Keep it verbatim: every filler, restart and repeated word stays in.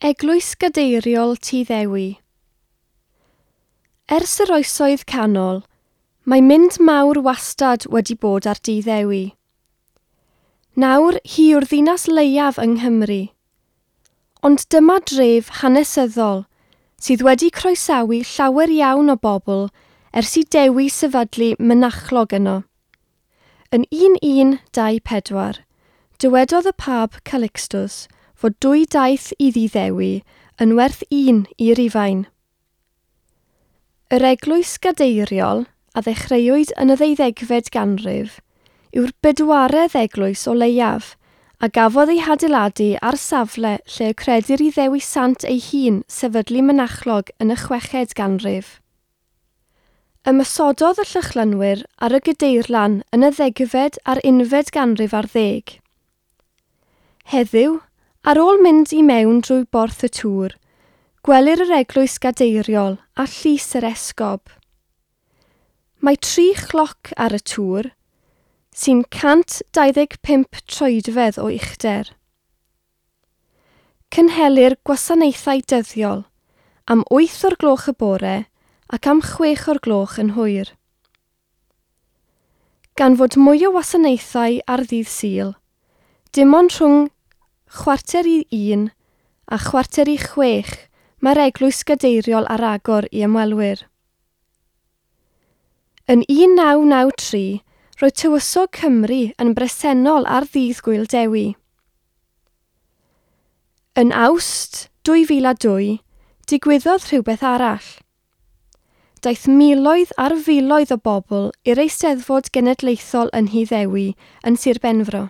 Eglwys Gadeiriol Tŷ Ddewi. Ers yr oesoedd canol, mae mynd mawr wastad wedi bod ar Dŷ Ddewi. Nawr hi yw'r ddinas leiaf yng Nghymru. Ond dyma dref hanesyddol sydd wedi croesawu llawer iawn o bobl ers i Dewi sefydlu mynachlog yno. Yn un un dau pedwar, dywedodd y Pab Calixtus fod dwy daith i Dŷ Ddewi yn werth un i Rufain. Yr eglwys gadeiriol, a ddechreuwyd yn y ddeuddegfed ganrif, yw'r bedwaredd eglwys o leiaf, a gafodd ei hadeiladu ar safle lle y credir i Ddewi Sant ei hun sefydlu mynachlog yn y chweched ganrif. Ymosododd y Llychlynwyr ar y gadeirlan yn y ddegfed a'r unfed ganrif ar ddeg. Heddiw, ar ôl mynd i mewn drwy Borth y Tŵr, gwelir yr eglwys gadeiriol a llys yr esgob. Mae tri chloc ar y tŵr, sy'n cant dau ddeg pump troedfedd o uchder. Cynhelir gwasanaethau dyddiol am wyth o'r gloch y bore ac am chwech o'r gloch yn hwyr. Gan fod mwy o wasanaethau ar ddydd Sul, dim ond rhwng chwarter i un a chwarter i chwech mae'r eglwys gadeiriol ar agor i ymwelwyr. Yn un naw naw tri, roedd Tywysog Cymru yn bresennol ar ddydd Gŵyl Dewi. Yn Awst dwy fil a dwy, digwyddodd rhywbeth arall. Daeth miloedd ar filoedd o bobl i'r Eisteddfod Genedlaethol yn Nhŷ Ddewi yn Sir Benfro.